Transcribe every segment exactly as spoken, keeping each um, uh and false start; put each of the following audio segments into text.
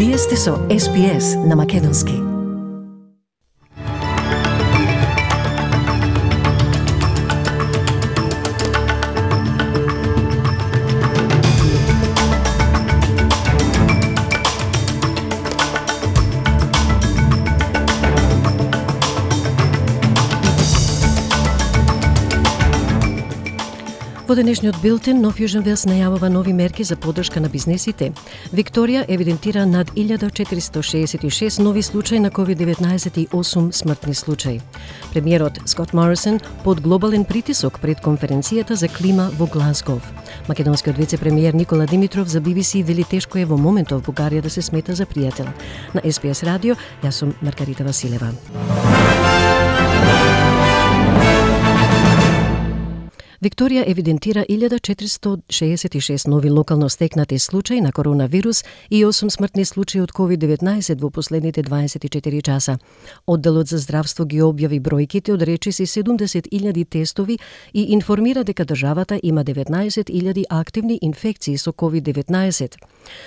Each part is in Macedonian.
Вие сте со Ес Би Ес на Македонски. Во денешниот билтен, Нов Јужен Велс најавува нови мерки за поддршка на бизнесите. Викторија евидентира над илјада четиристо шеесет и шест нови случаи на ковид деветнаесет и осум смртни случаи. Премиерот Скот Морисон под глобален притисок пред конференцијата за клима во Глазгов. Македонскиот вице-премиер Никола Димитров за Би Би Си вели тешко е во моментов Бугарија да се смета за пријател. На Ес Би Ес радио, јас сум Маргарита Василева. Викторија евидентира илјада четиристо шеесет и шест нови локално стекнати случаи на коронавирус и осум смртни случаи од ковид деветнаесет во последните дваесет и четири часа. Одделот за здравство ги објави бројките од речиси седумдесет илјади тестови и информира дека државата има деветнаесет илјади активни инфекции со ковид деветнаесет.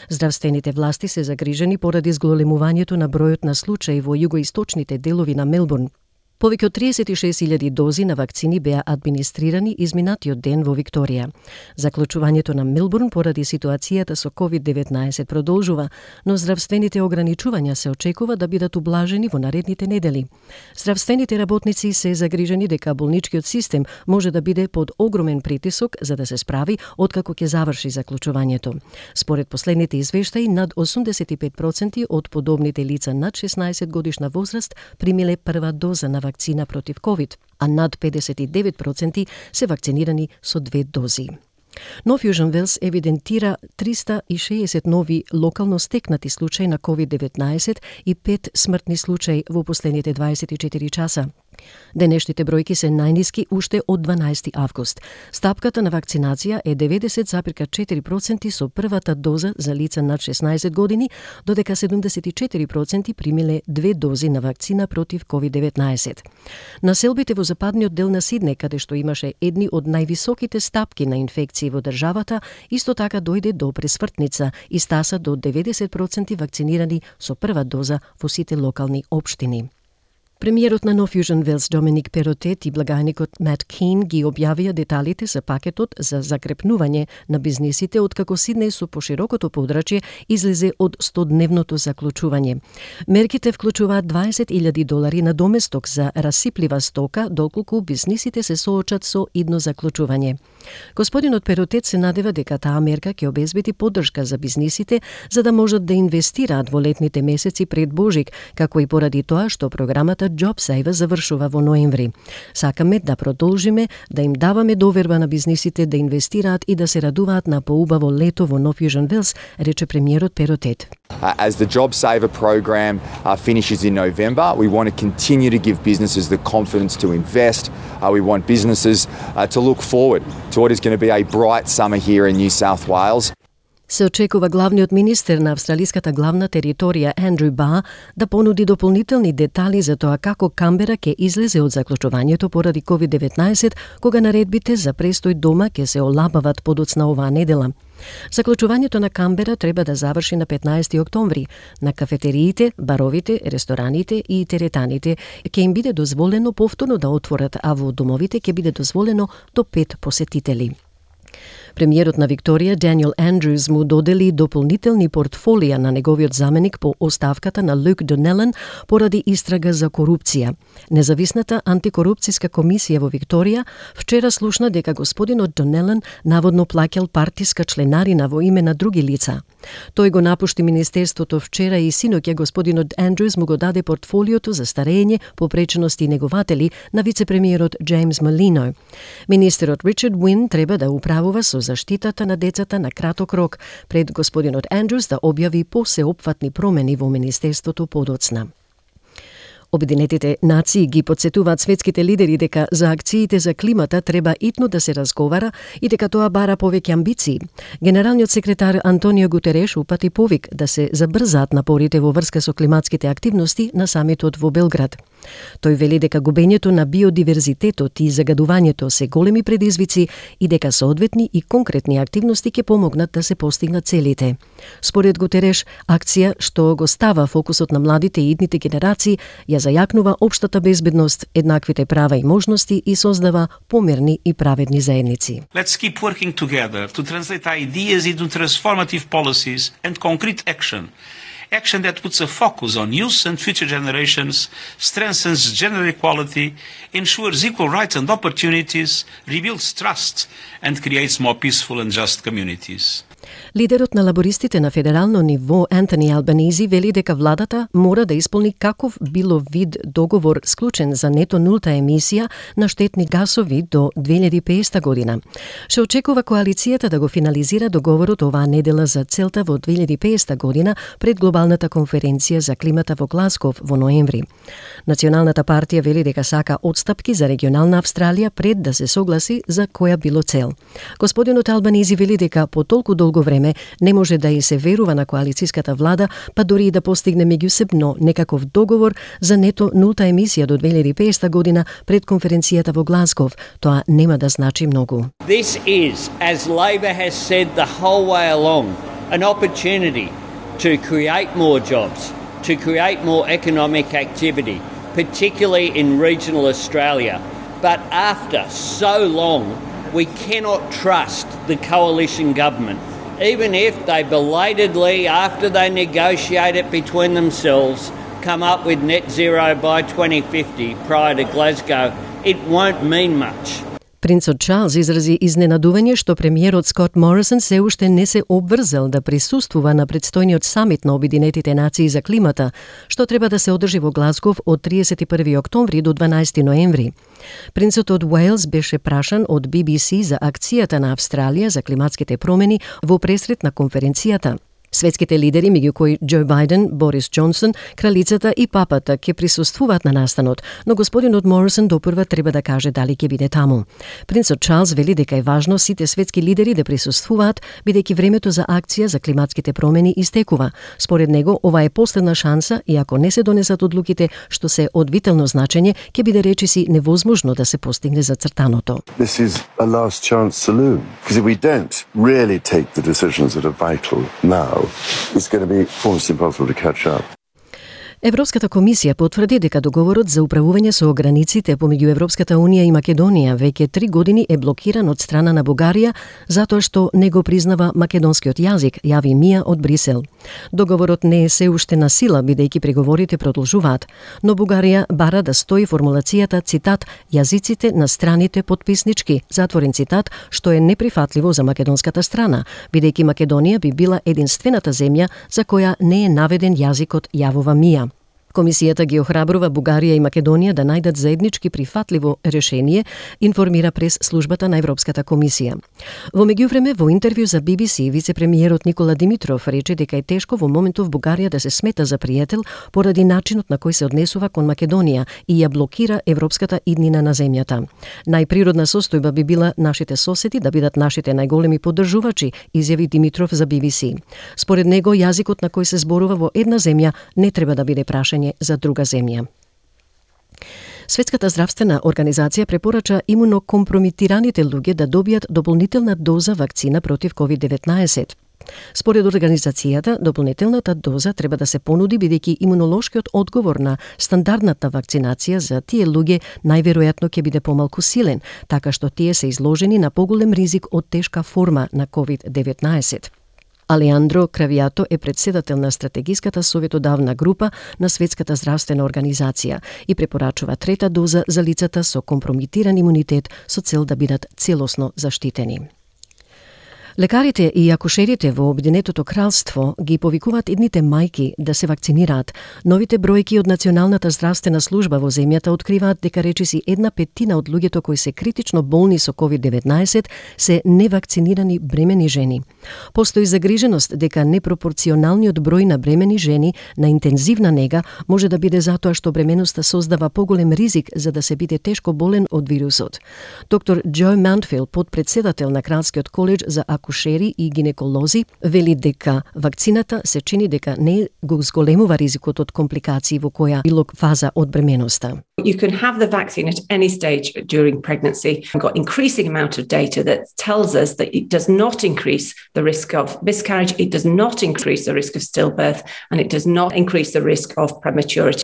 Здравствените власти се загрижени поради зголемувањето на бројот на случаи во југоисточните делови на Мелбурн. Повеќе од триесет и шест илјади дози на вакцини беа администрирани изминатиот ден во Викторија. Заклучувањето на Мелбурн поради ситуацијата со ковид деветнаесет продолжува, но здравствените ограничувања се очекува да бидат ублажени во наредните недели. Здравствените работници се загрижени дека болничкиот систем може да биде под огромен притисок за да се справи откако ќе заврши заклучувањето. Според последните извештаи, над осумдесет и пет проценти од подобните лица над шеснаесет годишна возраст примиле прва доза на вакцина против ковид, а над педесет и девет проценти се вакцинирани со две дози. Нов Јужен Велс евидентира триста и шеесет нови локално стекнати случаи на ковид деветнаесет и пет смртни случаи во последните дваесет и четири часа. Денешните бројки се најниски уште од дванаесети август. Стапката на вакцинација е деветдесет запирка четири проценти со првата доза за лица над шеснаесет години, додека седумдесет и четири проценти примиле две дози на вакцина против ковид деветнаесет. Населбите во западниот дел на Сиднеј, каде што имаше едни од највисоките стапки на инфекции во државата, исто така дојде до пресвртница и стаса до деветдесет проценти вакцинирани со прва доза во сите локални општини. Премиерот на Нов Јужен Велс Доминик Перотет и благајникот Мат Кин ги објавија деталите за пакетот за закрепнување на бизнисите откако Сиднеј со поширокото подрачје излезе од стодневното заклучување. Мерките вклучуваат дваесет илјади долари на доместок за расиплива стока доколку бизнисите се соочат со идно заклучување. Господинот Перотет се надева дека таа мерка ќе обезбеди поддршка за бизнисите за да можат да инвестираат во летните месеци пред Божик, како и поради тоа што програмата JobSaver завршува во ноември. Сакаме да продолжиме да им даваме доверба на бизнисите да инвестираат и да се радуваат на поубаво лето во Нов Јужен Велс, рече премиерот Перотет. Uh, as the JobSaver program uh, finishes in November, we want to continue to give businesses the confidence to invest. Uh, we want businesses uh, to look forward to what is going to be a bright summer here in New South Wales. Се очекува главниот министер на австралиската главна територија Андрю Бар да понуди дополнителни детали за тоа како Камбера ќе излезе од заклучувањето поради ковид деветнаесет, кога наредбите за престој дома ќе се олабават подоцна оваа недела. Заклучувањето на Камбера треба да заврши на петнаесети октомври. На кафетериите, баровите, рестораните и теретаните ќе им биде дозволено повторно да отворат, а во домовите ќе биде дозволено до пет посетители. Премиерот на Викторија Даниел Андрюс му додели дополнителни портфолија на неговиот заменик по оставката на Люк Донелан поради истрага за корупција. Независната антикорупцијска комисија во Викторија вчера слушна дека господинот Донелан наводно плаќал партиска членарина во име на други лица. Тој го напушти министерството вчера и синоќа господинот Андрюс му го даде портфолиото за старење, попречености и негователи на вице-премиерот Джеймс Малино. Министерот Ричард Уин треба да управува со заштитата на децата на краток рок пред господинот Андрюс да објави посеопфатни промени во министерството подоцна. Обединетите нации ги потсетуваат светските лидери дека за акциите за климата треба итно да се разговара и дека тоа бара повеќе амбиции. Генералниот секретар Антонио Гутереш упати повик да се забрзаат напорите во врска со климатските активности на самитот во Белград. Тој вели дека губењето на биодиверзитетот и загадувањето се големи предизвици и дека соодветни и конкретни активности ќе помогнат да се постигнат целите. Според Гутереш, акција што го става фокусот на младите и идните генерации ја зајакнува општата безбедност, еднаквите права и можности и создава помирни и праведни заедници. Let's keep working together to translate ideas into transformative policies and concrete action. Action that puts a focus on youth and future generations, strengthens gender equality, ensures equal rights and opportunities, rebuilds trust, and creates more peaceful and just communities. Лидерот на лабористите на федерално ниво Антони Албанизи вели дека владата мора да исполни каков било вид договор склучен за нето нулта емисија на штетни гасови до две илјади и песета година. Се очекува коалицијата да го финализира договорот оваа недела за целта во две илјади и песета година пред глобалната конференција за климата во Гласков во ноември. Националната партија вели дека сака отстапки за регионална Австралија пред да се согласи за која било цел. Господинот Албанизи вели дека по толку долго време не може да и се верува на коалицијската влада, па дори и да постигне меѓусебно некаков договор за нето нулта емисија до две илјади и песета година пред конференцијата во Гласков. Тоа нема да значи многу. This is, as Labor has said the whole way along, an opportunity to create more jobs, to create more economic activity, particularly in regional Australia. But after so long, we cannot trust the coalition government. Even if they belatedly, after they negotiate it between themselves, come up with net zero by twenty fifty prior to Glasgow, it won't mean much. Принцот Чарлс изрази изненадување што премиерот Скот Морисон се уште не се обврзал да присуствува на предстојниот самит на Обединетите нации за климата, што треба да се одржи во Глазгов од триесет и први октомври до дванаесети ноември. Принцот од Уелс беше прашан од Би Би Си за акцијата на Австралија за климатските промени во пресрет на конференцијата. Светските лидери, меѓу кои Џо Бајден, Борис Џонсон, кралицата и папата ќе присуствуваат на настанот, но господинот Морисон допрва треба да каже дали ќе биде таму. Принцот Чарлс вели дека е важно сите светски лидери да присуствуваат, бидејќи времето за акција за климатските промени истекува. Според него, ова е последна шанса и ако не се донесат одлуките што се од витално значење, ќе биде речиси невозможно да се постигне зацртаното. This is a last chance saloon, because if we don't really take the decisions that are vital now, it's going to be almost impossible to catch up. Европската комисија потврди дека договорот за управување со границите помеѓу Европската унија и Македонија веќе три години е блокиран од страна на Бугарија затоа што не го признава македонскиот јазик, јави Мија од Брисел. Договорот не е се уште на сила, бидејќи преговорите продолжуваат, но Бугарија бара да стои формулацијата, цитат, јазиците на страните потписнички, затворен цитат, што е неприфатливо за македонската страна, бидејќи Македонија би била единствената земја за која не е наведен јазикот, јавува Мија. Комисијата ги охрабрува Бугарија и Македонија да најдат заеднички прифатливо решение, информира прес службата на Европската комисија. Во меѓувреме, во интервју за Би Би Си, вице-премиерот Никола Димитров рече дека е тешко во моментов Бугарија да се смета за пријател поради начинот на кој се однесува кон Македонија и ја блокира европската иднина на земјата. Најприродна состојба би била нашите соседи да бидат нашите најголеми поддржувачи, изјави Димитров за Би Би Си. Според него, јазикот на кој се зборува во една земја не треба да биде прашање за друга земја. Светската здравствена организација препорача имунокомпромитираните луѓе да добијат дополнителна доза вакцина против ковид деветнаесет. Според организацијата, дополнителната доза треба да се понуди бидејќи имунолошкиот одговор на стандардната вакцинација за тие луѓе најверојатно ќе биде помалку силен, така што тие се изложени на поголем ризик од тешка форма на ковид деветнаесет. Алеандро Кравијато е председател на стратегиската советодавна група на Светската здравствена организација и препорачува трета доза за лицата со компромитиран имунитет со цел да бидат целосно заштитени. Лекарите и акушерите во Обединетото кралство ги повикуваат идните мајки да се вакцинираат. Новите бројки од Националната здравствена служба во земјата откриваат дека речиси една петтина од луѓето кои се критично болни со ковид деветнаесет се невакцинирани бремени жени. Постои загриженост дека непропорционалниот број на бремени жени на интензивна нега може да биде затоа што бременоста создава поголем ризик за да се биде тешко болен од вирусот. Доктор Џо Мантфилд, подпредседател на Кралскиот коледж за акушери и гинеколози вели дека вакцината се чини дека не го зголемува ризикот од компликации во која било фаза од бременоста. You can have the vaccine at any stage during pregnancy. We've got increasing amount of data that tells us that it does not increase the risk of miscarriage, it does not increase the risk of stillbirth, and it does not increase the risk of prematurity.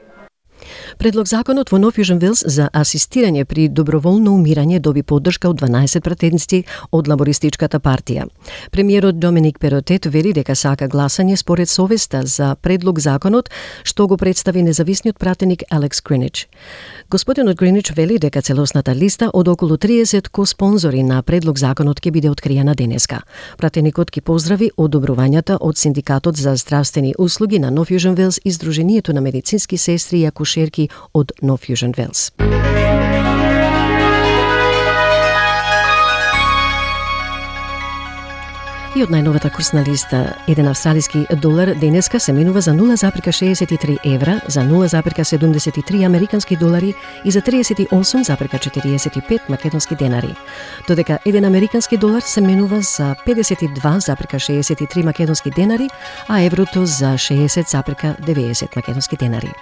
Предлог законот во Нов Јужен Велс за асистирање при доброволно умирање доби поддршка од дванаесет пратеници од лабористичката партија. Премиерот Доминик Перотет вели дека сака гласање според совеста за предлог законот што го представи независниот пратеник Алекс Гринич. Господинот Гринич вели дека целосната листа од околу триесет ко-спонзори на предлог законот ќе биде откриена денеска. Пратеникот ќе поздрави одобрувањата од Синдикатот за здравствени услуги на Нов Јужен Велс и Сдруженијето на медицински сестри и акушерки од Нов Јужен Велс. И од најновата курсна листа, еден австралиски долар денеска се менува за нула запирка шеесет и три евра, за нула запирка седумдесет и три американски долари и за триесет и осум запирка четириесет и пет македонски денари. Додека еден американски долар се менува за педесет и два запирка шеесет и три македонски денари, а еврото за шеесет запирка деветдесет македонски денари.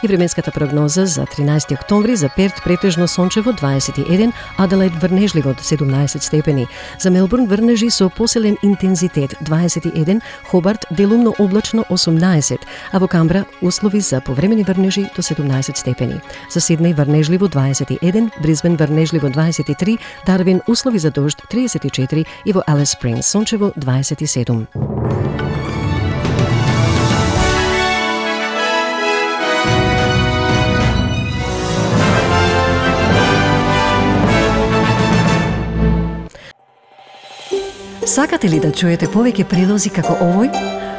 И временската прогноза за тринаесети октомври за Перт претежно сончево дваесет и еден, Аделаид врнежливо седумнаесет степени, за Мелбурн врнежи со поселен интензитет дваесет и еден, Хобарт делумно облачно осумнаесет, а во Камбра услови за повремени врнежи до седумнаесет степени. За Сиднеј врнежливо дваесет и еден, Брисбен врнежливо дваесет и три, Дарвин услови за дожд триесет и четири и во Алис Спрингс сончево дваесет и седум. Сакате ли да чуете повеќе прилози како овој?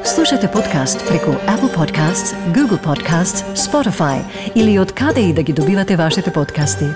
Слушате подкаст преку Apple Podcasts, Google Podcasts, Spotify или од каде и да ги добивате вашите подкасти.